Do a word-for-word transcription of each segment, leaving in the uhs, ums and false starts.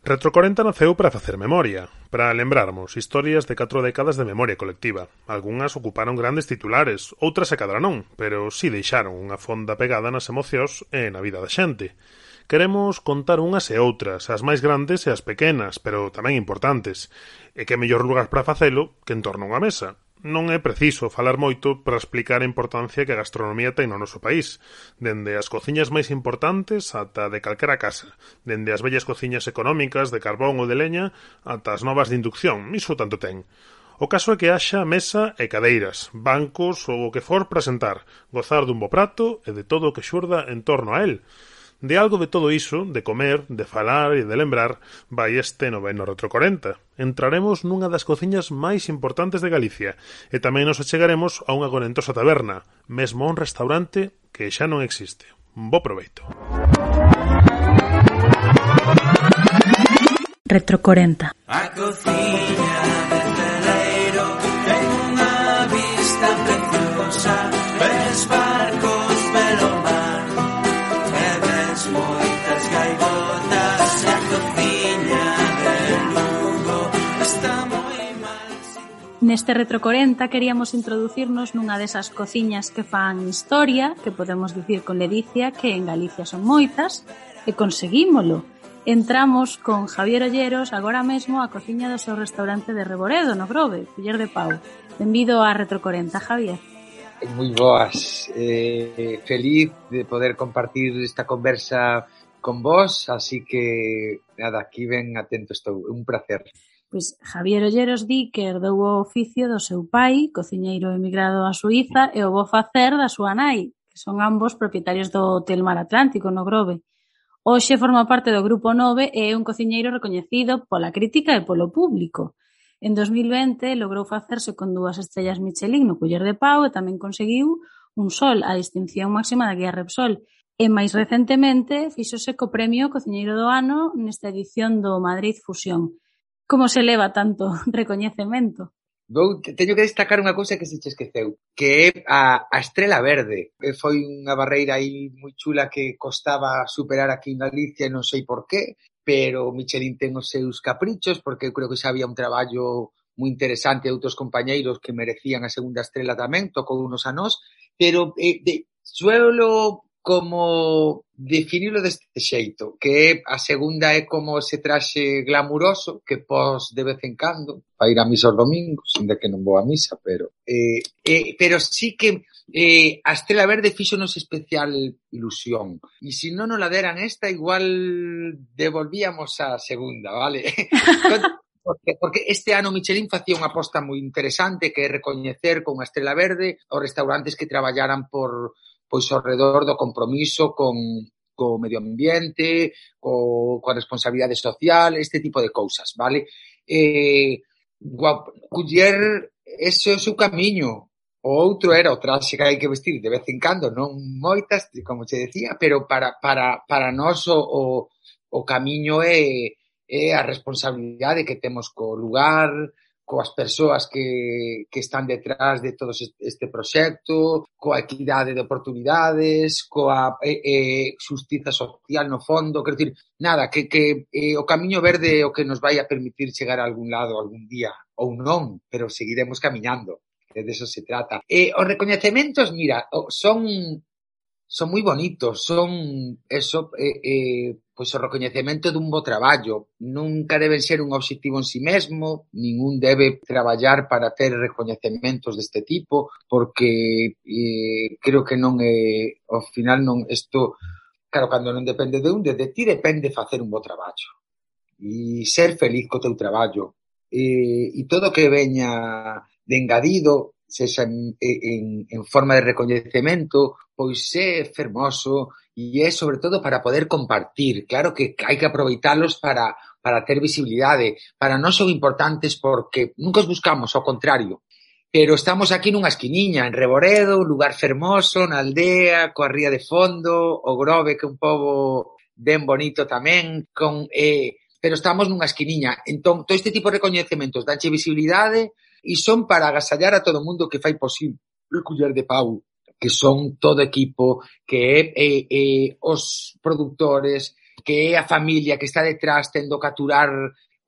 Retro corenta naceu para facer memoria, para lembrarmos historias de catro décadas de memoria colectiva. Algúnas ocuparon grandes titulares, outras se cadra non, pero si deixaron unha fonda pegada nas emocións e na vida da xente. Queremos contar unhas e outras, as máis grandes e as pequenas, pero tamén importantes. E que mellor lugar para facelo que en torno a unha mesa. Non é preciso falar moito para explicar a importancia que a gastronomía ten no noso país, dende as cociñas máis importantes ata de calquera casa, dende as vellas cociñas económicas de carbón ou de leña ata as novas de inducción, iso tanto ten. O caso é que haxa mesa e cadeiras, bancos ou o que for para sentar, gozar dun bo prato e de todo o que xurda en torno a el. De algo de todo iso, de comer, de falar e de lembrar, vai este noveno Retro corenta. Entraremos nunha das cociñas máis importantes de Galicia e tamén nos achegaremos a unha gorentosa taberna, mesmo a un restaurante que xa non existe. Bo proveito. Retro corenta. A cociña de Celeiro ten unha vista preciosa, ves barcos pelo mar e ves moitas gaivotas e a cociña de Lugo está moi mal. Neste Retro corenta queríamos introducirnos nunha desas cociñas que fan historia, que podemos dicir con ledicia que en Galicia son moitas, e conseguímolo. Entramos con Javier Olleros agora mesmo á cociña do seu restaurante de Reboredo, no Grove, Culler de Pau. Benvido a Retro corenta, Javier. Moi boas, eh, feliz de poder compartir esta conversa con vos, así que nada, aquí ben atento estou, un placer. Pois Javier Olleros di que herdou o oficio do seu pai, cociñeiro emigrado a Suíza, e o bo facer da súa nai, que son ambos propietarios do Hotel Mar Atlántico, no Grove. Hoxe forma parte do Grupo nove e é un cociñeiro recoñecido pola crítica e polo público. En dos mil vinte logrou facerse con dúas estrellas Michelin no Culler de Pau e tamén conseguiu un sol, a distinción máxima da guía Repsol. E máis recentemente fíxose co premio Cociñeiro do Ano nesta edición do Madrid Fusión. Como se leva tanto recoñecemento? Vou, teño que destacar unha cousa que se che esqueceu, que é a, a Estrela Verde. Foi unha barreira aí moi chula que costaba superar aquí en Galicia, non sei por qué, pero Michelin ten os seus caprichos, porque eu creo que xa había un traballo moi interesante de outros compañeiros que merecían a segunda estrela tamén, tocou unos a nós, pero eh, de, suelo como definirlo deste xeito, que é a segunda é como ese traxe glamuroso que pos de vez en cando para ir a misa os domingos, ainda que non vou a misa, pero eh, eh, pero sí que eh, a Estrela Verde fíxonos especial ilusión. E se non nos la deran esta, igual devolvíamos a segunda, vale? Porque, porque este ano Michelin facía unha aposta moi interesante que é recoñecer con a Estrela Verde os restaurantes que traballaran por pois ao redor do compromiso con co medio ambiente, co, coa responsabilidade social, este tipo de cousas, vale? Eh, Culler, ese é o seu camiño. O outro era o traxe que hai que vestir de vez en cando, non moitas, como te decía, pero para, para, para nós o, o, o camiño é, é a responsabilidade que temos co lugar, coas persoas que, que están detrás de todo este proxecto, coa equidade de oportunidades, coa eh, eh, xustiza social no fondo, quero dicir, nada, que, que eh, o camiño verde é o que nos vai a permitir chegar a algún lado algún día, ou non, pero seguiremos camiñando, que de eso se trata. Eh, os recoñecementos, mira, son son moi bonitos, son eso, eh, eh, pois o recoñecemento dun bo traballo. Nunca deben ser un obxectivo en si mesmo, ningún debe traballar para ter recoñecementos deste tipo, porque eh, creo que non é, ao final non, isto, claro, cando non depende de un, de, de ti depende facer un bo traballo e ser feliz co teu traballo, e, e todo que veña de engadido, sexa en, en, en forma de recoñecemento, pois é fermoso e é sobre todo para poder compartir. Claro que hai que aproveitalos para, para ter visibilidade. Para nós son importantes porque nunca os buscamos, ao contrario. Pero estamos aquí nunha esquiniña, en Reboredo, un lugar fermoso, na aldea, coa ría de fondo, o Grove, que é un pobo ben bonito tamén, con, eh, pero estamos nunha esquiniña. Entón, todo este tipo de recoñecementos danche visibilidade e son para agasallar a todo o mundo que fai posible o Culler de Pau, que son todo equipo, que é eh, eh, os produtores, que é a familia que está detrás tendo que aturar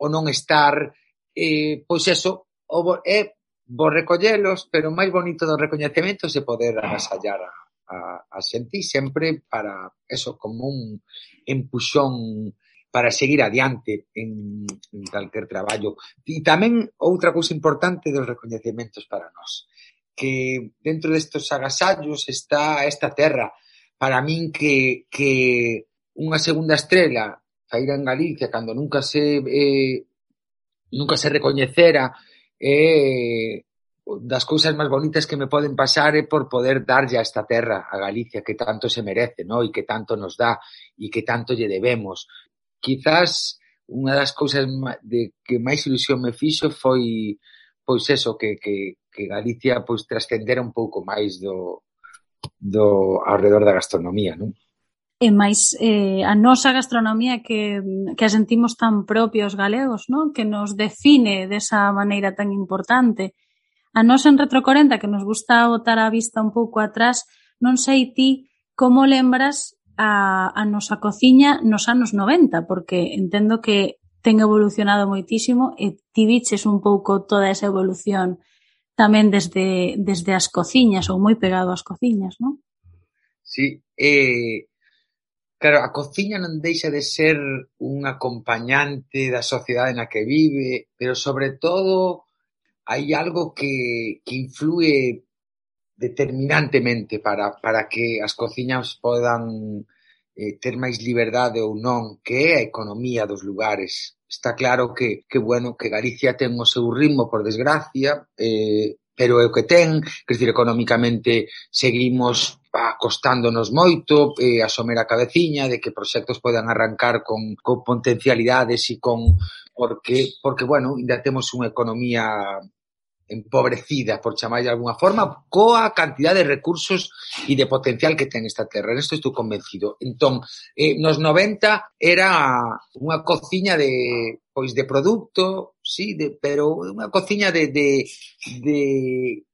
o non estar, eh, pois eso, o bo, é vos recollelos, pero o máis bonito dos recoñecementos é poder agasallar a, a, a xente, sempre para eso, como un empuxón para seguir adiante en, en calquer traballo. E tamén outra cousa importante dos recoñecementos para nós, que dentro destes agasallos está esta terra, para min que, que unha segunda estrela saíra en Galicia cando nunca se eh, nunca se recoñecera, eh, das cousas máis bonitas que me poden pasar é por poder darlle a esta terra, a Galicia, que tanto se merece, ¿no? E que tanto nos dá e que tanto lle debemos. Quizás unha das cousas de que máis ilusión me fixo foi pois eso, que, que, que Galicia pois trascendera un pouco máis do, do ao redor da gastronomía, non? E máis eh, a nosa gastronomía que, que a sentimos tan propia os galegos, non? Que nos define desa maneira tan importante. A nos en Retro corenta, que nos gusta botar a vista un pouco atrás, non sei ti como lembras a, a nosa cociña nos anos noventa, porque entendo que ten evolucionado moitísimo e ti viches un pouco toda esa evolución tamén desde, desde as cociñas ou moi pegado ás cociñas, non? Sí, eh... claro, a cociña non deixa de ser un acompañante da sociedade na que vive, pero sobre todo hai algo que, que influe determinantemente para, para que as cociñas podan eh, ter máis liberdade ou non, que é a economía dos lugares. Está claro que, que bueno, que Galicia ten o seu ritmo, por desgracia, eh, pero é o que ten, quer dizer, económicamente seguimos costándonos moito, eh, asomer a cabeciña de que proxectos podan arrancar con, con potencialidades e con, porque, porque, bueno, ainda temos unha economía empobrecida, por chamar de alguna forma, coa cantidad de recursos e de potencial que ten esta terra. Nesto estou convencido. Entón, eh, nos noventa era unha cociña de, pois, de produto, sí, de, pero unha cociña de, de, de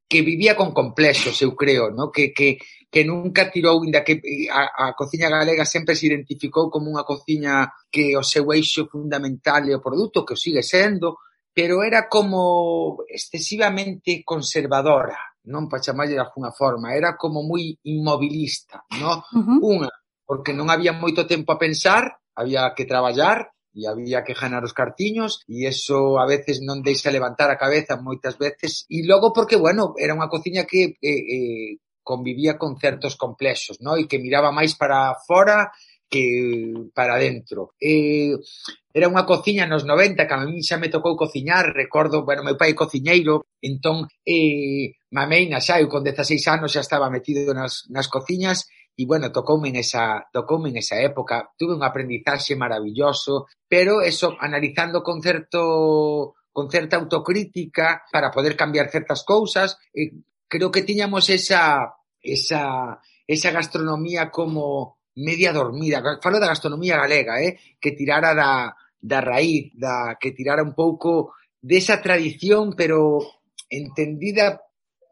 que vivía con complexos, eu creo, ¿no? Que, que, que nunca tirou, inda que a, a cociña galega sempre se identificou como unha cociña que o seu eixo fundamental é o produto, que o sigue sendo, pero era como excesivamente conservadora, non para chamarlle de alguna forma, era como moi inmobilista, non? Uh-huh. Unha, porque non había moito tempo a pensar, había que traballar e había que ganar os cartiños e eso a veces non deixa levantar a cabeza moitas veces, e logo porque, bueno, era unha cociña que eh, eh, convivía con certos complexos, non? E que miraba máis para fora que para dentro. Eh, era unha cociña nos noventa, que a mí xa me tocou cociñar, recordo, bueno, meu pai é cociñeiro, entón, eh, mameina xa, eu con dezaseis anos xa estaba metido nas, nas cociñas, e, bueno, tocoume en esa, tocoume en esa época, tuve un aprendizaxe maravilloso, pero eso, analizando con certo, con certa autocrítica, para poder cambiar certas cousas, eh, creo que tiñamos esa, esa, esa gastronomía como media dormida, falo da gastronomía galega, eh, que tirara da, da raíz, da, que tirara un pouco desa tradición, pero entendida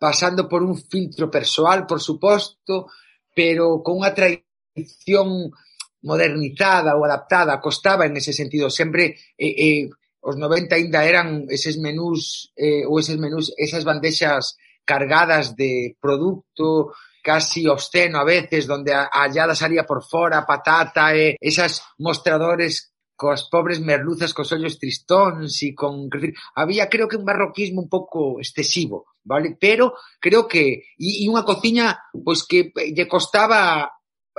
pasando por un filtro persoal, por suposto, pero con unha tradición modernizada ou adaptada, costaba en ese sentido, sempre eh, eh, os noventa ainda eran eses menús, eh, ou eses menús, esas bandexas cargadas de produto, casi obsceno a veces, donde a hallada salía por fora, patata, e esas mostradores coas pobres merluzas cos ollos tristóns e con... Había, creo que, un barroquismo un pouco excesivo, vale? Pero creo que... E, e unha cociña, pois, que lle costaba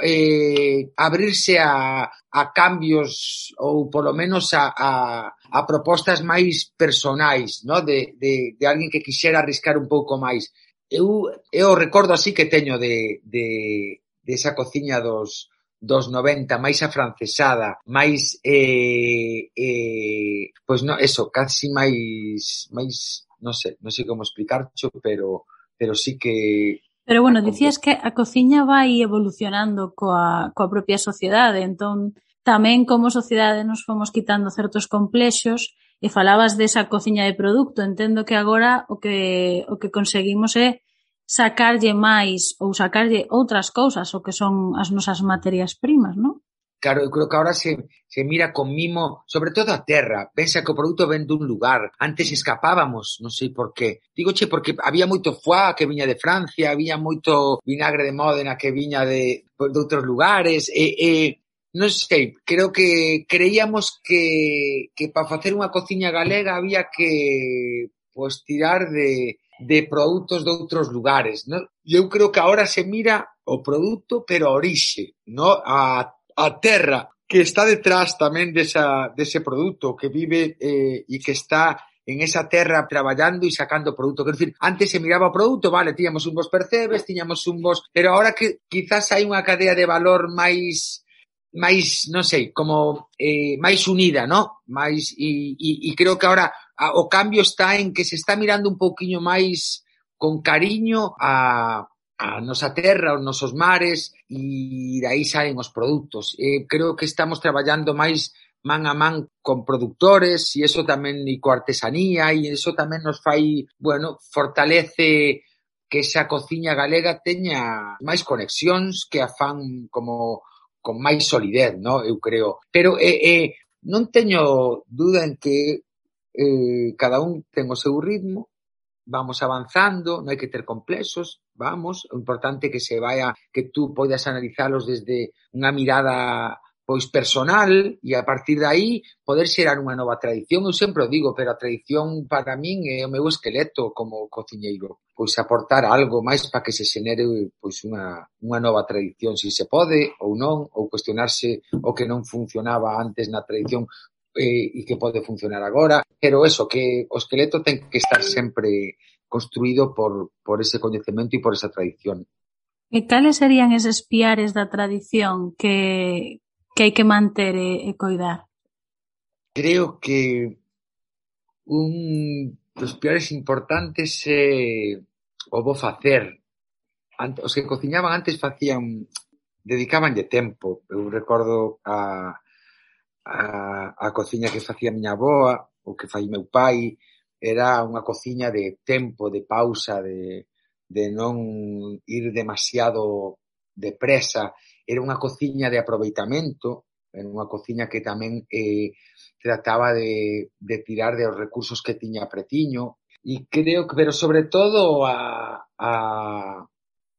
eh, abrirse a, a cambios ou, polo menos, a, a, a propostas máis personais, ¿no? De, de, de alguén que quixera arriscar un pouco máis. Eu, eu recordo así que teño de, de, de esa cociña dos, dos noventa, máis afrancesada, máis, eh, eh, pois no, eso, casi máis, máis, non sei, non sei como explicarcho, pero, pero sí que... Pero bueno, dicías que a cociña vai evolucionando coa, coa propia sociedade, entón tamén como sociedade nos fomos quitando certos complexos e falabas desa cociña de produto. Entendo que agora o que o que conseguimos é sacarlle máis ou sacarlle outras cousas o que son as nosas materias primas, non? Claro, eu creo que ahora se, se mira con mimo, sobre todo a terra. Pensa que o produto ven dun lugar. Antes escapábamos, non sei por qué. Dígoche porque había moito foie que viña de Francia, había moito vinagre de Módena que viña de, de outros lugares, e, e non sei, creo que creíamos que, que para facer unha cociña galega había que pues, tirar de, de produtos de outros lugares, ¿no? Eu creo que ahora se mira o produto, pero a orixe, ¿no? A a terra que está detrás tamén desa, dese produto, que vive eh, e que está en esa terra traballando e sacando produto. Quero dicir, antes se miraba o produto, vale, tiñamos un bos percebes, tiñamos un bos... Pero ahora que quizás hai unha cadea de valor máis, máis non sei, como eh, máis unida, ¿no? Máis, e, e, e creo que ahora a, o cambio está en que se está mirando un pouquiño máis con cariño a... a nosa terra, os nosos mares e de aí saen os produtos. Eh, creo que estamos traballando máis man a man con productores e iso tamén e coa artesanía e iso tamén nos fai, bueno, fortalece que esa cociña galega teña máis conexións que a fan como con máis solidez, no? Eu creo. Pero eh, eh, non teño duda en que eh, cada un ten o seu ritmo, vamos avanzando, non hai que ter complexos, vamos, o importante é que se vaya, que tú podas analizalos desde unha mirada pois personal e a partir de aí poder xerar unha nova tradición. Eu sempre o digo, pero a tradición para min é o meu esqueleto como cociñeiro, pois aportar algo máis para que se xenere pois unha, unha nova tradición, se se pode ou non, ou cuestionarse o que non funcionaba antes na tradición e que pode funcionar agora, pero eso, que o esqueleto ten que estar sempre construído por, por ese coñecemento e por esa tradición. E cales serían eses piares da tradición que, que hai que manter e, e coidar? Creo que un dos piares importantes é o bo facer. Os que cociñaban antes facían, dedicabanlle tempo. Eu recordo a A, a cociña que facía miña avoa, o que fai meu pai, era unha cociña de tempo, de pausa, de, de non ir demasiado depresa. Era unha cociña de aproveitamento, era unha cociña que tamén eh, trataba de, de tirar de os recursos que tiña pretiño. E creo que, pero sobre todo, a, a,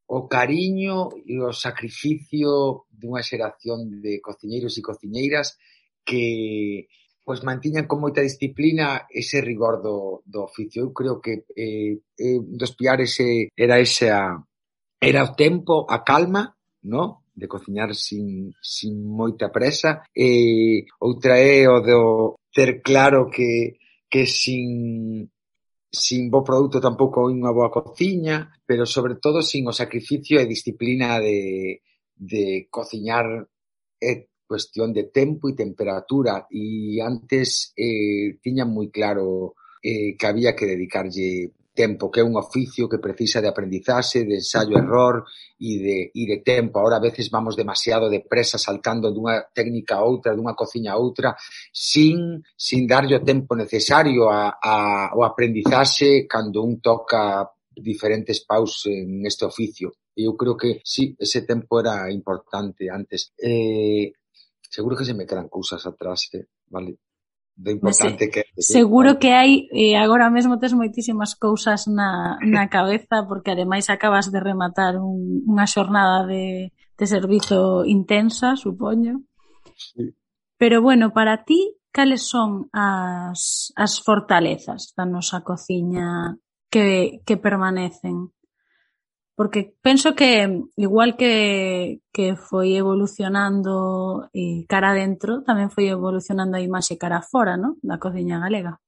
o cariño e o sacrificio dunha xeración de cociñeiros e cociñeiras que pois mantiñan con moita disciplina ese rigor do, do oficio. Eu creo que eh, eh, dos piares eh, era esa, era o tempo, a calma, no? De cociñar sin, sin moita presa. E outra é o do ter claro que, que sin, sin bo produto tampouco hai unha boa cociña, pero sobre todo sin o sacrificio e disciplina de, de cociñar e cuestión de tempo e temperatura e antes eh, tiñan moi claro eh, que había que dedicarlle tempo, que é un oficio que precisa de aprendizaxe, de ensayo-error e de, e de tempo. Ahora a veces vamos demasiado depresa saltando dunha técnica a outra, dunha cociña a outra, sin, sin darlle o tempo necesario a, a, ao aprendizaxe cando un toca diferentes paus en este oficio. E eu creo que sí, ese tempo era importante antes. Eh, Seguro que se me quedan cousas atrás, eh, vale? Do importante que... Seguro que hai, e agora mesmo tes moitísimas cousas na, na cabeza, porque ademais acabas de rematar un, unha xornada de, de servizo intensa, supoño. Sí. Pero bueno, para ti, cales son as, as fortalezas da nosa cociña que, que permanecen? Porque penso que, igual que, que foi evolucionando eh, cara adentro, tamén foi evolucionando a imaxe cara fora, ¿no? Da cociña galega.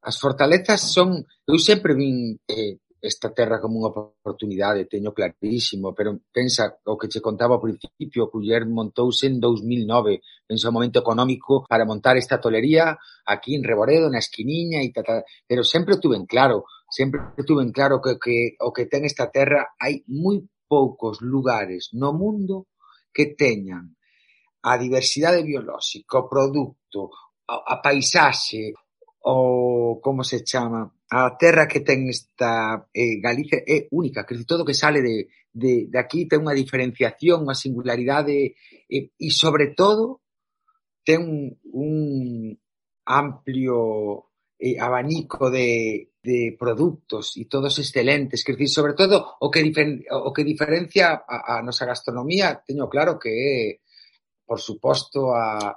As fortalezas son... Eu sempre vin eh, esta terra como unha oportunidade, teño clarísimo, pero pensa o que che contaba ao principio, que Culler montouse en dous mil nove, pensa o momento económico para montar esta tolería aquí en Reboredo, na esquiniña, e tata, pero sempre tuve en claro, sempre tuve en claro que, que o que ten esta terra, hai moi poucos lugares no mundo que teñan a diversidade biolóxica, o produto, a, a paisaxe, o como se chama, a terra que ten esta eh, Galicia é única, que todo que sale de, de, de aquí ten unha diferenciación, unha singularidade e, e sobre todo ten un, un amplio eh, abanico de, de produtos e todos excelentes, que decir, sobre todo o que, difer, o que diferencia a, a nosa gastronomía, teño claro que é, por suposto, a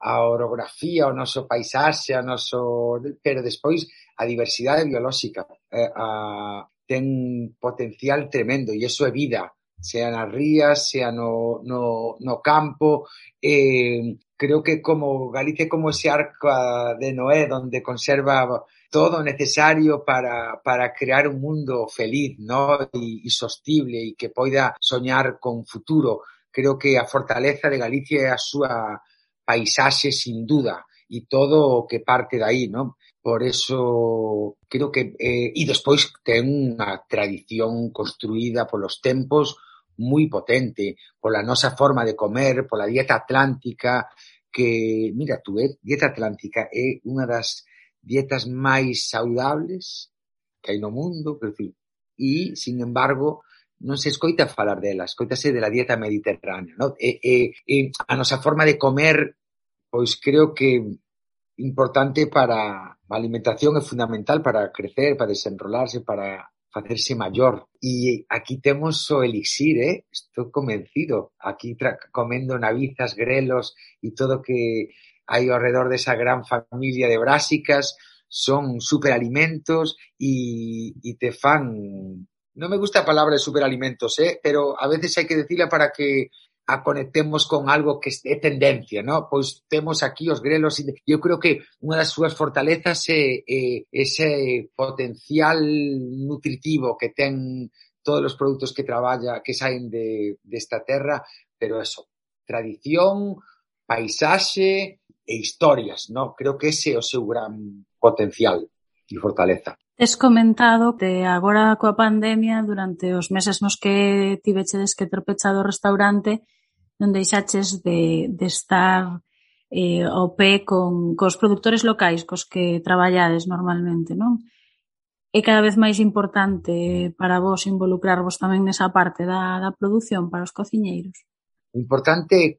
a orografía, o noso paisaxe, o noso, pero despois a diversidade biolóxica eh, a, ten potencial tremendo e iso é vida, sea nas rías, sea no, no, no campo. Eh, creo que como Galicia como ese arca de Noé donde conserva todo necesario para, para crear un mundo feliz, ¿no? e, e sostible e que poida soñar con futuro. Creo que a fortaleza de Galicia é a súa paisaxe sin duda e todo o que parte de aí, ¿no? Por eso creo que eh, e despois ten unha tradición construída polos tempos moi potente, pola nosa forma de comer, pola dieta atlántica, que, mira, tú, eh, dieta atlántica é unha das dietas máis saudables que hai no mundo, quer decir, e, sin embargo, non se escoita falar dela, escoitase de la dieta mediterránea, ¿no? E, e, e a nosa forma de comer, pois creo que importante para a alimentación é fundamental para crecer, para desenrolarse, para facerse maior. E aquí temos o elixir, eh? Estou convencido. Aquí tra- comendo navizas, grelos e todo que hai ao redor desa gran familia de brásicas, son superalimentos e, e te fan... Non me gusta a palabra de superalimentos, eh? Pero a veces hai que decirla para que a conectemos con algo que é tendencia, ¿no? Pois temos aquí os grelos e eu creo que unha das súas fortalezas é, é ese potencial nutritivo que ten todos os produtos que traballa, que saen de desta terra, pero eso, tradición, paisaxe e historias, ¿no? Creo que ese é o seu gran potencial e fortaleza. Tes comentado que agora coa pandemia, durante os meses nos que tivechedes que ter pechado o restaurante, non deixaches de, de estar eh, ao pé con cos produtores locais cos que traballades normalmente, non? É cada vez máis importante para vos involucrarvos tamén nesa parte da, da produción para os cociñeiros? O importante é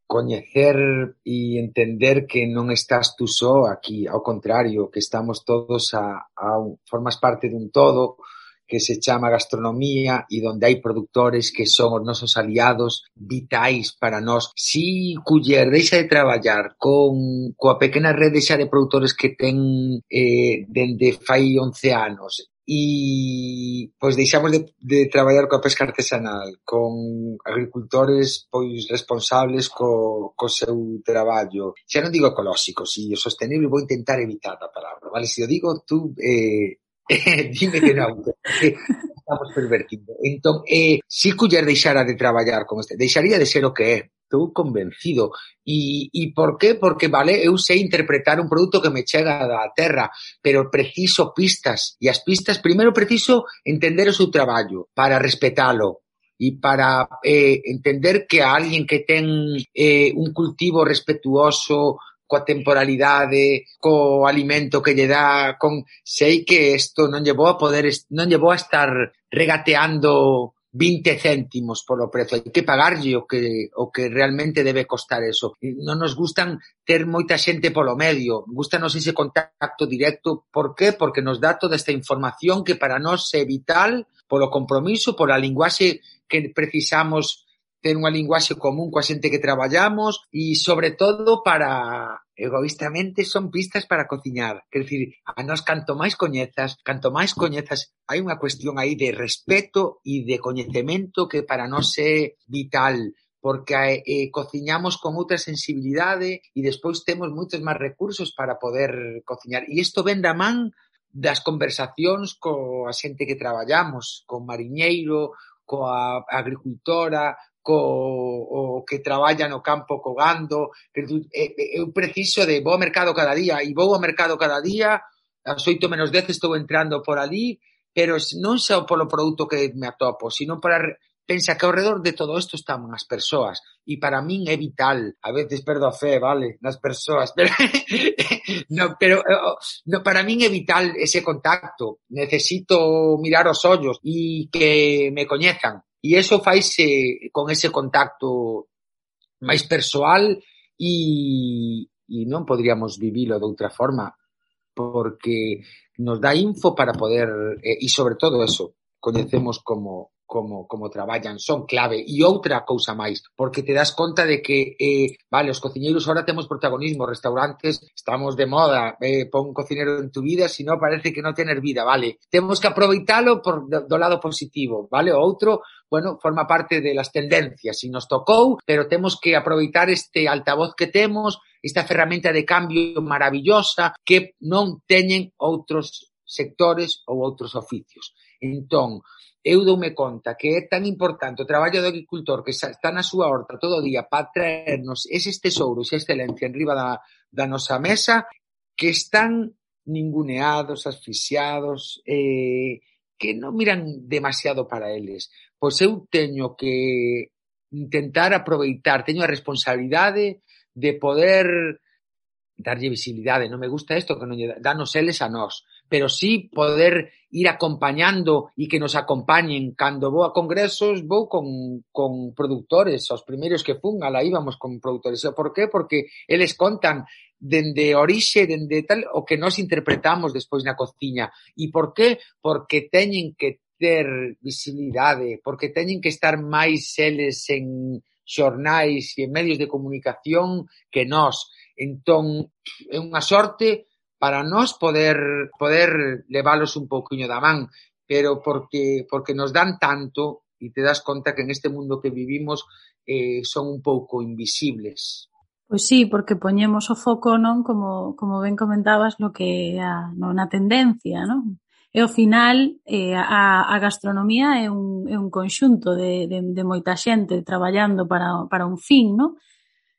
coñecer e entender que non estás tú só aquí, ao contrario, que estamos todos a, a un, formas parte dun todo que se chama gastronomía e donde hai produtores que son os nosos aliados vitais para nós. Si Culler deixa de traballar con coa pequena rede xa de produtores que ten eh, dende fai once anos e pois deixamos de, de traballar coa pesca artesanal, con agricultores pois responsables co, co seu traballo, xa non digo ecolóxico, si o sostenible vou intentar evitar a palabra, vale? Se o digo tú eh, dime que non, que estamos pervertindo. Entón, eh, si Culler deixara de traballar con este, deixaría de ser o que é, estou convencido. E, e por qué? Porque, vale, eu sei interpretar un produto que me chega da terra, pero preciso pistas. E as pistas, primeiro preciso entender o seu traballo para respetalo e para eh, entender que a alguén que ten eh, un cultivo respetuoso coa temporalidade, co alimento que lle dá, con sei que isto non lle vou a poder, non lle vou a estar regateando vinte céntimos polo prezo, hai que pagarlle o que o que realmente debe costar eso. Non nos gustan ter moita xente polo medio, gustanos ese contacto directo, por qué? Porque nos dá toda esta información que para nós é vital polo compromiso, pola linguaxe que precisamos ter unha linguaxe común coa xente que traballamos e, sobre todo, para, egoístamente, son pistas para cociñar. Quer dicir, a nós, canto máis coñezas, canto máis coñezas, hai unha cuestión aí de respeto e de coñecemento que para nós é vital, porque eh, cociñamos con outra sensibilidade e despois temos moitos máis recursos para poder cociñar. E isto ven da man das conversacións coa xente que traballamos, co mariñeiro, coa agricultora, co o que traballa no campo co gando. Eu preciso de vou ao mercado cada día e vou ao mercado cada día, ás oito menos dez estou entrando por ali, pero non só polo produto que me atopo, sino para pensa que ao redor de todo isto están as persoas, e para min é vital, a veces perdo a fe, vale, nas persoas, pero, no, pero no, para min é vital ese contacto, necesito mirar os ollos e que me coñezan, e eso faise con ese contacto máis persoal e, e non podríamos vivilo de outra forma, porque nos dá info para poder, e, e sobre todo eso, coñecemos como como como traballan, son clave. E outra cousa máis, porque te das conta de que, eh, vale, os cociñeiros ahora temos protagonismo, restaurantes, estamos de moda, eh, pon un cocinero en tu vida, si no parece que non tener vida, vale. Temos que aproveitalo por, do, do lado positivo, vale? O outro, bueno, forma parte de las tendencias, si nos tocou, pero temos que aproveitar este altavoz que temos, esta ferramenta de cambio maravillosa que non teñen outros sectores ou outros oficios. Entón, eu doume conta que é tan importante o traballo do agricultor que está na súa horta todo o día para traernos eses tesouros e excelencia en riba da, da nosa mesa, que están ninguneados, asfixiados, eh, que non miran demasiado para eles. Pois eu teño que intentar aproveitar, teño a responsabilidade de poder darlle visibilidade, non me gusta isto que non lle danos eles a nós, pero sí poder ir acompañando e que nos acompañen. Cando vou a congresos, vou con, con productores, os primeiros que fun, ala íbamos con productores. E por qué? Porque eles contan dende orixe, dende tal, o que nos interpretamos despois na cociña. E por qué? Porque teñen que ter visibilidade, porque teñen que estar máis eles en xornais e en medios de comunicación que nós. Entón, é unha sorte para nós poder poder leválos un pouquiño da man, pero porque porque nos dan tanto e te das conta que en este mundo que vivimos eh, son un pouco invisibles. Pois sí, porque poñemos o foco, non, como como ben comentabas, no que a, no, na tendencia, non? E ao final eh, a, a gastronomía é un, é un conxunto de, de, de moita xente traballando para, para un fin, non?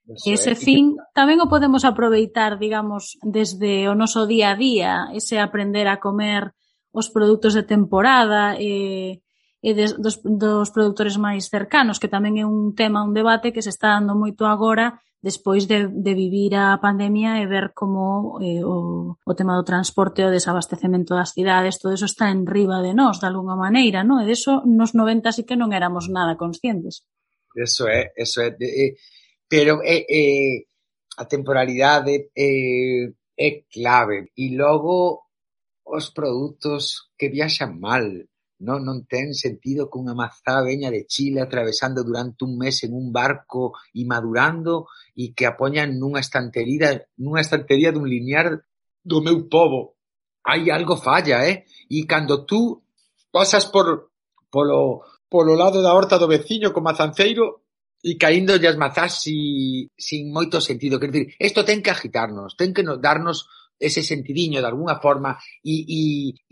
Eso ese é. Fin tamén o podemos aproveitar, digamos, desde o noso día a día, ese aprender a comer os produtos de temporada e, e des, dos, dos produtores máis cercanos, que tamén é un tema, un debate que se está dando moito agora despois de, de vivir a pandemia e ver como eh, o, o tema do transporte, o desabastecemento das cidades, todo eso está en riba de nós, de alguna maneira, non? E deso nos noventa sí que non éramos nada conscientes. Eso é, eso é... De, eh, pero é, é, a temporalidade é, é clave. E logo os produtos que viaxan mal, non, non ten sentido que unha mazá veña de Chile atravesando durante un mes en un barco e madurando e que a poñan nunha estantería, nunha estantería dun linear do meu pobo. Hai algo falla, eh? E cando tú pasas por polo, polo lado da horta do veciño co mazanceiro e caíndo as mazás si, sin moito sentido. Quer dizer, isto ten que agitarnos, ten que nos, darnos ese sentidiño de alguna forma e, e,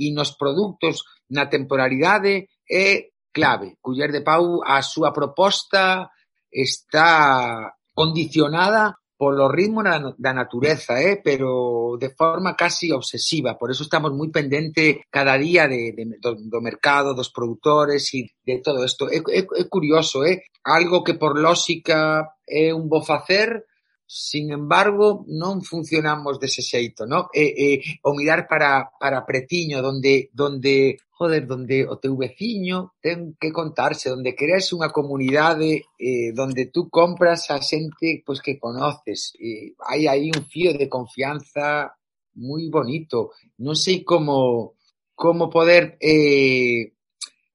e nos produtos na temporalidade é clave. Culler de Pau, a súa proposta está condicionada polo ritmo da, da natureza, eh? Pero de forma casi obsesiva. Por eso estamos moi pendente cada día de, de, do, do mercado, dos produtores e de todo isto. É, é, é curioso, eh? Algo que por lógica é un bo facer, sin embargo, non funcionamos dese xeito, non? E, e, o mirar para, para pretiño, donde, donde, joder, donde o teu veciño ten que contarse, donde creas unha comunidade, eh, donde tú compras a xente pois, que conoces. Eh, hai aí un fío de confianza moi bonito. Non sei como, como poder... Eh,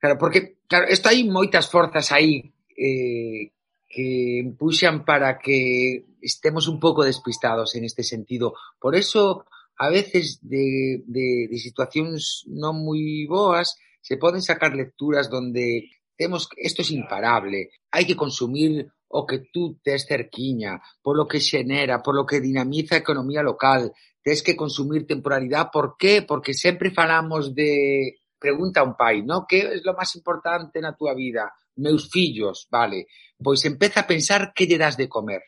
claro, porque, claro, isto hai moitas forzas aí, eh, que empuxan para que estemos un pouco despistados en este sentido. Por eso, a veces, de, de, de situacións non moi boas, se poden sacar lecturas donde temos, isto é imparable, hai que consumir o que tú tes cerquiña, polo que xenera, polo que dinamiza a economía local, tes que consumir temporalidade. Por qué? Porque sempre falamos de... Pregunta a un pai, ¿no? Que é lo máis importante na túa vida? Meus fillos, vale. Pois empeza a pensar que lle das de comer,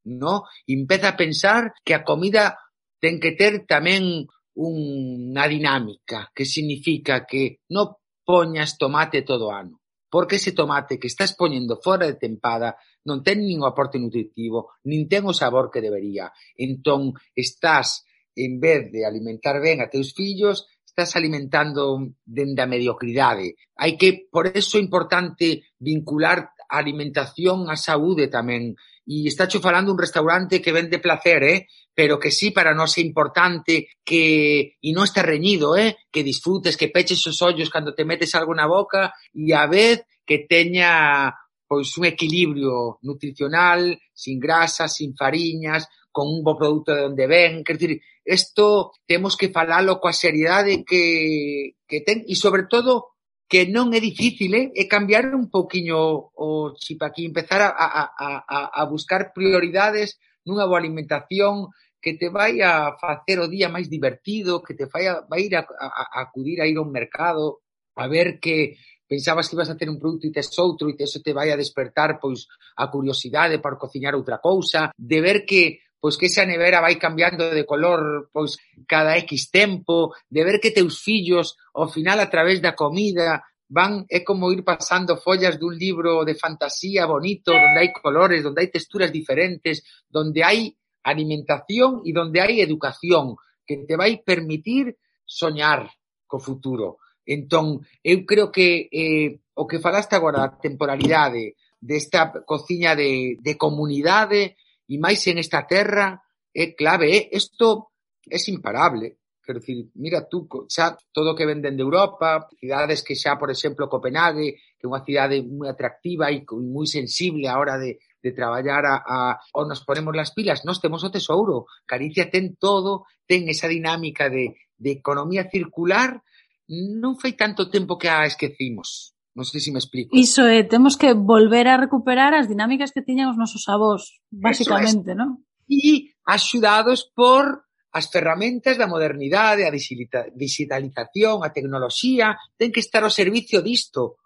¿no? Empeza a pensar que a comida ten que ter tamén unha dinámica, que significa que non poñas tomate todo o ano. porque ese tomate que estás poñendo fora de tempada non ten nin o aporte nutritivo, nin ten o sabor que debería. Entón, estás, en vez de alimentar ben a teus fillos, estás alimentando dende a mediocridade. Hai que, por eso é importante vincular a alimentación á saúde tamén. E estácho falando un restaurante que vende placer, eh? Pero que sí, para nós é importante que, e non está reñido, eh? Que disfrutes, que peches os ollos cando te metes algo na boca e a vez que teña pois un equilibrio nutricional, sin grasas, sin fariñas, con un bo produto de onde ven. Quer dizer, isto temos que falalo coa seriedade que, que ten e, sobre todo, que non é difícil, eh? É cambiar un poquinho o chip aquí, empezar a, a, a, a buscar prioridades nunha boa alimentación que te vai a facer o día máis divertido, que te vai a, vai ir a, a, a acudir a ir a un mercado, a ver que pensabas que ibas a ter un produto e tes outro e que eso te vai a despertar pois a curiosidade para cociñar outra cousa, de ver que pois que esa nevera vai cambiando de color pois cada X tempo, de ver que teus fillos ao final a través da comida van, é como ir pasando follas dun libro de fantasía bonito, donde hai colores, donde hai texturas diferentes, donde hai alimentación e donde hai educación que te vai permitir soñar co futuro. Entón, eu creo que eh, o que falaste agora, a temporalidade desta cociña de, de comunidade e máis en esta terra é clave, é, isto é imparable. Quero dicir, mira tú, xa todo o que venden de Europa, cidades que xa, por exemplo, Copenhague, que é unha cidade moi atractiva e moi sensible a hora de, de traballar a, a, ou nos ponemos las pilas, nós temos o tesouro. Galicia ten todo, ten esa dinámica de, de economía circular, non foi tanto tempo que a esquecimos. Non sei se me explico. Iso é, temos que volver a recuperar as dinámicas que tiñan os nosos avós, basicamente, non? E axudados por as ferramentas da modernidade, a digitalización, a tecnoloxía, ten que estar ao servicio disto.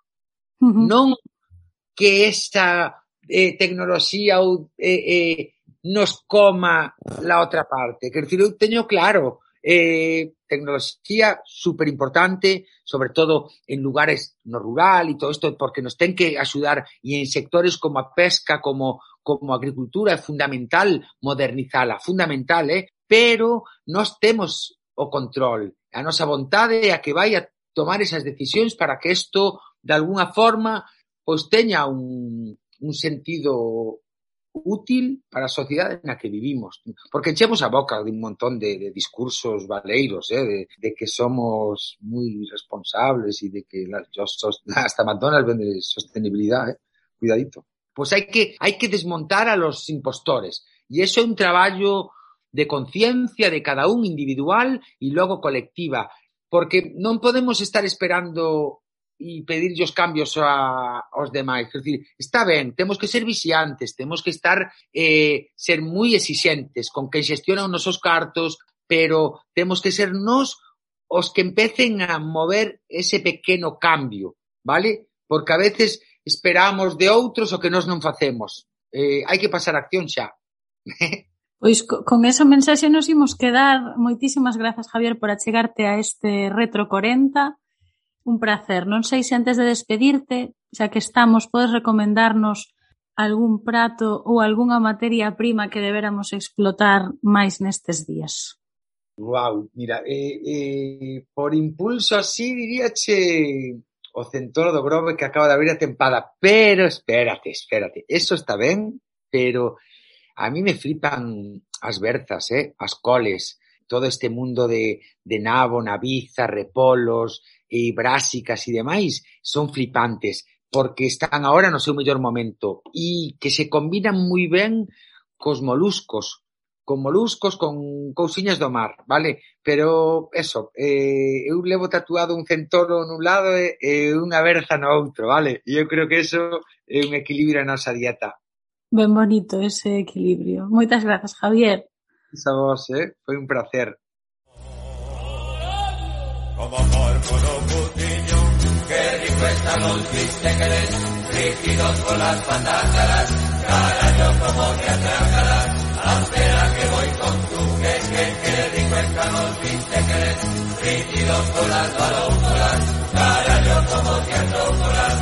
Uh-huh. Non que esa eh, tecnoloxía ou, eh, eh, nos coma la outra parte. Quer dizer, eu teño claro, eh, tecnoloxía super importante, sobre todo en lugares no rural e todo isto, porque nos ten que axudar e en sectores como a pesca, como como a agricultura, é fundamental modernizala, fundamental, eh? Pero nós temos o control, a nosa vontade é a que vai a tomar esas decisións para que isto, de alguna forma, pois teña un, un sentido útil para a sociedade na que vivimos. Porque enchemos a boca de un montón de, de discursos valeiros, eh, de, de que somos moi responsables e de que la, yo, hasta McDonald's vende sostenibilidade, eh. Cuidadito. Pois hai que, hai que desmontar a los impostores. E eso é un traballo de conciencia de cada un individual e logo colectiva. Porque non podemos estar esperando e pedirlle os cambios a, aos demais. Quer dizer, está ben, temos que ser vixiantes, temos que estar eh, ser moi exixentes con que xestionan os nosos cartos, pero temos que ser nós os que empecen a mover ese pequeno cambio, vale? Porque a veces esperamos de outros o que nós non facemos. Eh, hai que pasar a acción xa. Pois con esa mensaxe nos imos quedar. Moitísimas grazas, Javier, por achegarte a este Retro corenta. Un placer. Non sei se antes de despedirte, xa que estamos, podes recomendarnos algún prato ou algunha materia prima que deberamos explotar máis nestes días. Guau, mira, eh, eh, por impulso así diríache o centoro do Grove que acaba de abrir a tempada, pero espérate, espérate, eso está ben, pero a mí me flipan as berzas, eh, as coles, todo este mundo de, de nabo, naviza, repolos e brásicas e demais, son flipantes, porque están agora no seu mellor momento e que se combinan moi ben cos moluscos, con moluscos, con cousiñas do mar, vale? Pero, eso, eh, eu levo tatuado un centoro nun lado e, e unha berza no outro, vale? E eu creo que eso é un equilibrio na nosa dieta. Ben bonito ese equilibrio. Moitas grazas, Javier. A vos, eh? Foi un placer. Como porco no putiño, que rico están los bistequeres, rígidos con las patas, carayo como te atracarás, espera que voy con tu que, que, que rico están los bistequeres, rígidos con las balócolas, carayo como te atracarás,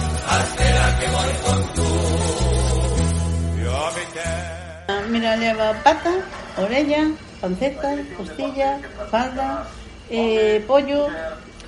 mira, leva pata, orella, panceta, costilla, falda, eh, pollo,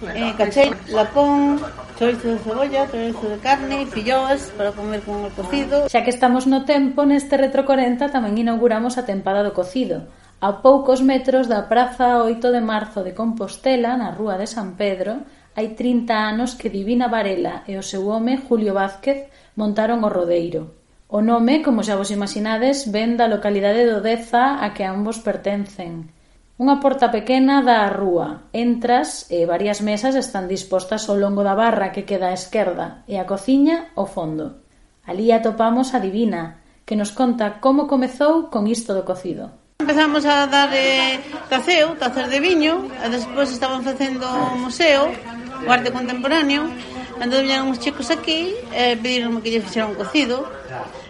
eh, caché, lapón, chorizo de cebolla, chorizo de carne, filloas para comer con o cocido. Xa que estamos no tempo, neste Retro corenta tamén inauguramos a tempada do cocido, a poucos metros da Praza oito de Marzo de Compostela, na Rúa de San Pedro. Hai trinta anos que Divina Varela e o seu home, Julio Vázquez, montaron o rodeiro. O nome, como xa vos imaginades, ven da localidade de Odeza a que ambos pertencen. Unha porta pequena dá á rúa. Entras e varias mesas están dispostas ao longo da barra que queda á esquerda e a cociña ao fondo. Alí atopamos a Divina, que nos conta como comezou con isto do cocido. Empezamos a dar eh, taceo, tacer de viño, e despois estaban facendo o museo, o arte contemporáneo. Entón viñeron uns chicos aquí e pedironme que lle fixera un cocido.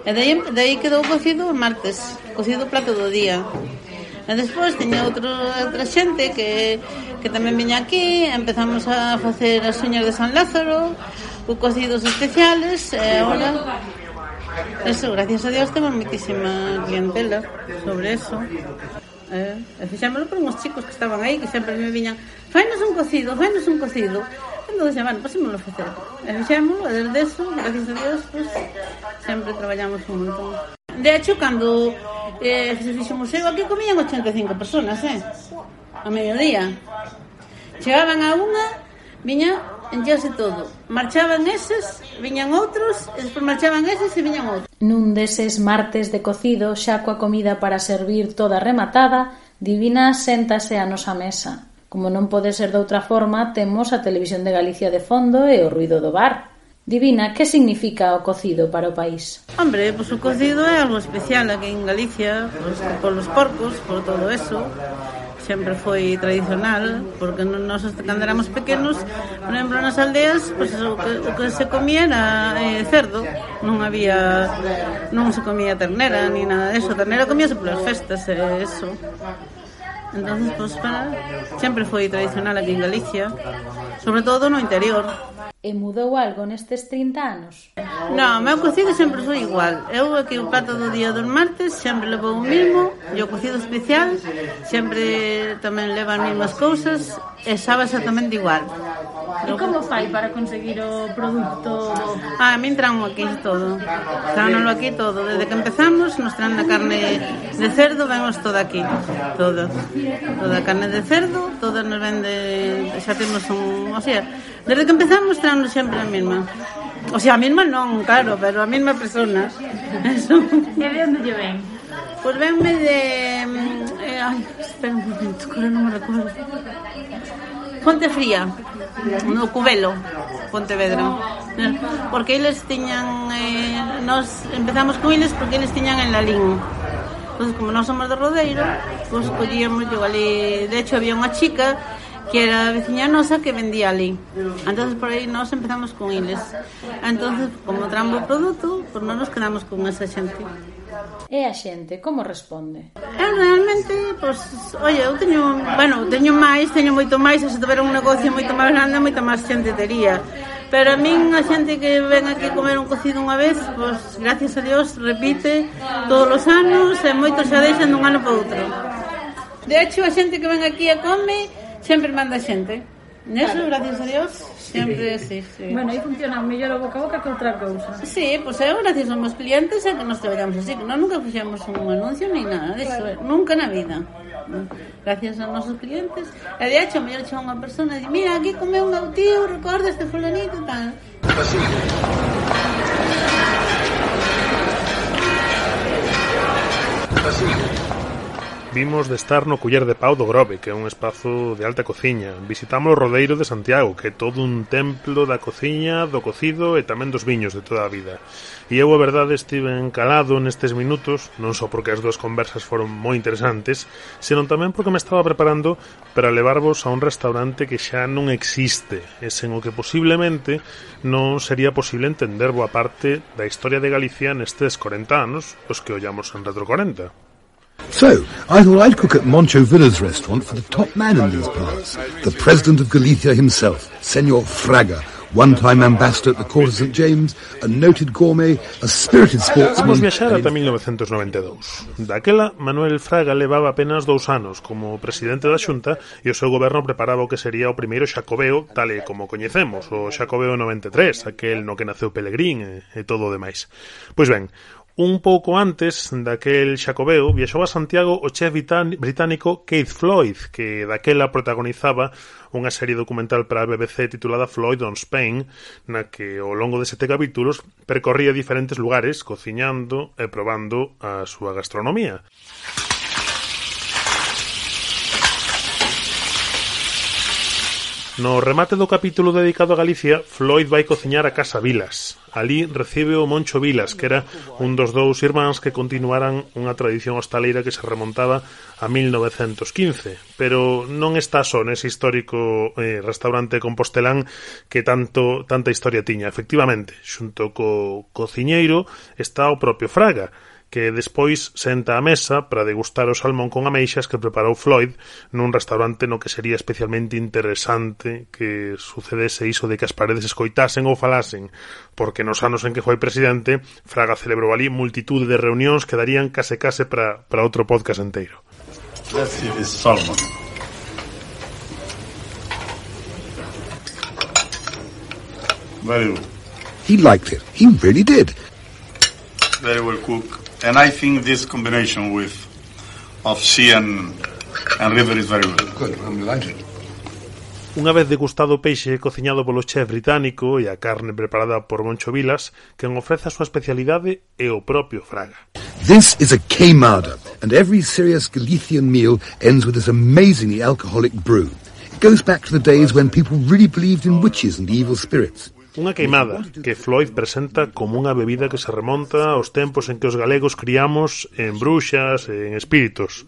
E daí, daí quedou o cocido o martes, cocido plato do día. E despois tiña outro, outra xente que, que tamén viña aquí. Empezamos a facer as uñas de San Lázaro, os cocidos especiales. E agora, eso, gracias a Dios, temos moitísima clientela sobre eso. Eh, e fixámoslo por uns chicos que estaban aí, que sempre me viñan: fainos un cocido, fainos un cocido. Entón, bueno, pasémoslo a facer. E fixámoslo, e desde eso, gracias a Dios, pues, sempre traballamos un montón. De hecho, cando eh, se fixo o museo, aquí comían ochenta e cinco personas, eh? A mediodía. Chegaban a unha, viña, enchase todo. Marchaban eses, viñan outros, e despois marchaban eses e viñan outros. Nun deses martes de cocido, xa coa comida para servir toda rematada, Divina séntase a nosa mesa. Como non pode ser de outra forma, temos a Televisión de Galicia de fondo e o ruido do bar. Divina, que significa o cocido para o país? Hombre, pois pues, o cocido é algo especial aquí en Galicia, pues, por los porcos, por todo eso. Sempre foi tradicional, porque nós, cando éramos pequenos, por exemplo, nas aldeas, pues, o, que, o que se comía era eh, cerdo. Non había, non se comía ternera, ni nada de eso. Ternera comíase polas festas, e eh, eso. Entonces, pues, para, sempre foi tradicional aquí en Galicia, sobre todo no interior. E mudou algo nestes trinta anos? Non, o meu cocido sempre foi igual. Eu aquí o plato do día dos martes sempre levou o mismo, e o cocido especial sempre tamén leva as mesmas cousas, e sabe exactamente igual. E como fai para conseguir o produto? Ah, a min traen aquí todo. Traenlo aquí todo. Desde que empezamos, nos traen a carne de cerdo, vemos toda aquí. Toda. Toda a carne de cerdo, toda nos vende, xa temos un... O sea, desde que empezamos, traen sempre a mesma. O sea, a mesma non, claro, pero a mesma persona. Eso. E de onde lle ven? Pois venme de... Eh, ai, espera un momento, que non me recordo. Fonte Fría, no Cubelo, Pontevedra. Porque eles tiñan... Eh, nos empezamos con eles porque eles tiñan en Lalín. Pois como nós somos de Rodeiro, pois collíamos yo ali. De hecho, había unha chica que era veciña nosa que vendía ali. Entonces por aí nós empezamos con eles. Entonces, como traemos o produto, pois non nos quedamos con esa xente. E a xente, como responde? Eu realmente, pois, oye, eu teño, bueno, teño máis, teño moito máis, se tuviera un negocio moito máis grande, moita máis xente tería. Pero a min, a xente que ven aquí comer un cocido unha vez, pois, gracias a Dios, repite todos os anos, e moitos xa deixan dun ano para outro. De hecho, a xente que ven aquí a come, sempre manda xente. Neso, claro. Gracias a Dios, sempre, sí, sí. Bueno, aí funciona mellor o boca a boca que outra cousa. Sí, pois pues, eu, gracias aos meus clientes, é que nos traballamos así, que nós nunca fixemos un anuncio ni nada disso, claro. Nunca na vida. Gracias aos nosos clientes. E de hecho, mellor chega unha persona e di, mira, aquí comeu un meu tío, recorda este fulanito e tal. Así. Así. Vimos de estar no Culler de Pau do Grove, que é un espazo de alta cociña. Visitamos o Rodeiro de Santiago, que é todo un templo da cociña, do cocido e tamén dos viños de toda a vida. E eu, a verdade, estive encalado nestes minutos, non só porque as dúas conversas foron moi interesantes, senón tamén porque me estaba preparando para levarvos a un restaurante que xa non existe, e sen o que posiblemente non sería posible entender boa parte da historia de Galicia nestes corenta anos, os que ollamos en Retro corenta. So, I thought I'd cook at Moncho Villa's restaurant for the top man in these parts, the president of Galicia himself, Señor Fraga, one-time ambassador at the court of Saint James, a noted gourmet, a spirited sportsman... Vamos viaxar ata mil novecentos noventa e dous. Daquela, Manuel Fraga levaba apenas dous anos como presidente da Xunta e o seu goberno preparaba o que sería o primeiro Xacobeo, tal e como coñecemos, o Xacobeo noventa e tres, aquel no que naceu Pelegrín e, e todo o demais. Pois ben, un pouco antes daquel Xacobeo viaxou a Santiago o chef británico Keith Floyd, que daquela protagonizaba unha serie documental para a B B C titulada Floyd on Spain, na que ao longo de sete capítulos percorría diferentes lugares cociñando e probando a súa gastronomía. No remate do capítulo dedicado a Galicia, Floyd vai cociñar a Casa Vilas. Ali recibe o Moncho Vilas, que era un dos dous irmáns que continuaran unha tradición hostaleira que se remontaba a mil novecentos quince, pero non está só nese histórico eh, restaurante compostelán que tanto tanta historia tiña. Efectivamente, xunto co cociñeiro está o propio Fraga, que despois senta á mesa para degustar o salmón con ameixas que preparou Floyd nun restaurante no que sería especialmente interesante que sucedese iso de que as paredes escoitasen ou falasen, porque nos anos en que foi presidente, Fraga celebrou ali multitude de reunións que darían case case para, para outro podcast inteiro. Let's see this salmon. Very good. He liked it. He really did. Very well cooked. And I think this combination with of sea and, and river is very good. Good, I'm delighted. Unha vez degustado o peixe cociñado polo chef británico e a carne preparada por Moncho Vilas, quen ofrece a súa especialidade é o propio Fraga. This is a queimada, and every serious Galician meal ends with this amazingly alcoholic brew. It goes back to the days when people really believed in witches and evil spirits. Unha queimada que Floyd presenta como unha bebida que se remonta aos tempos en que os galegos criamos en bruxas e en espíritos.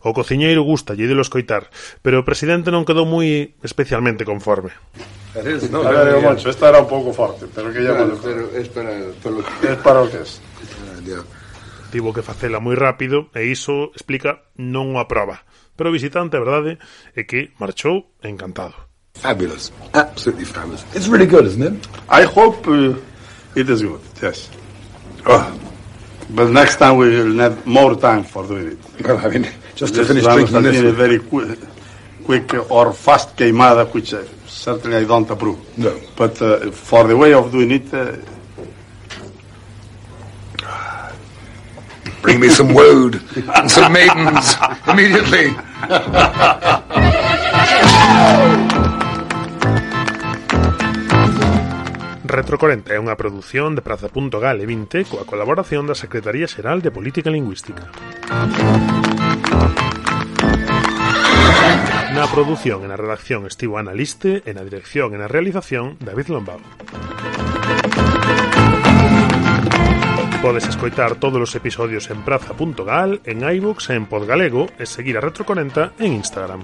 O cociñeiro gusta lle delo escoitar, pero o presidente non quedou moi especialmente conforme. No, a ver, Moncho, esta era un pouco forte, pero que ya claro, pero es para, para lo que es para o que es. Tivo que facela moi rápido e iso explica non o aproba. Pero o visitante, a verdade, é que marchou encantado. Fabulous. Absolutely fabulous. It's really good, isn't it? I hope uh, it is good, yes. Oh. But next time we will have more time for doing it. Well, I mean, just to this finish drinking this. A very quick, quick or fast queimada, which uh, certainly I don't approve. No. But uh, for the way of doing it... Uh, Bring me some woad and some maidens immediately. Retro corenta é unha produción de Praza punto gal e vinte coa colaboración da Secretaría Xeral de Política Lingüística. Na produción e na redacción estivo Ana Liste e na dirección e na realización David Lombao. Podes escoitar todos os episodios en Praza punto gal, en iVoox e en Podgalego e seguir a Retro corenta en Instagram.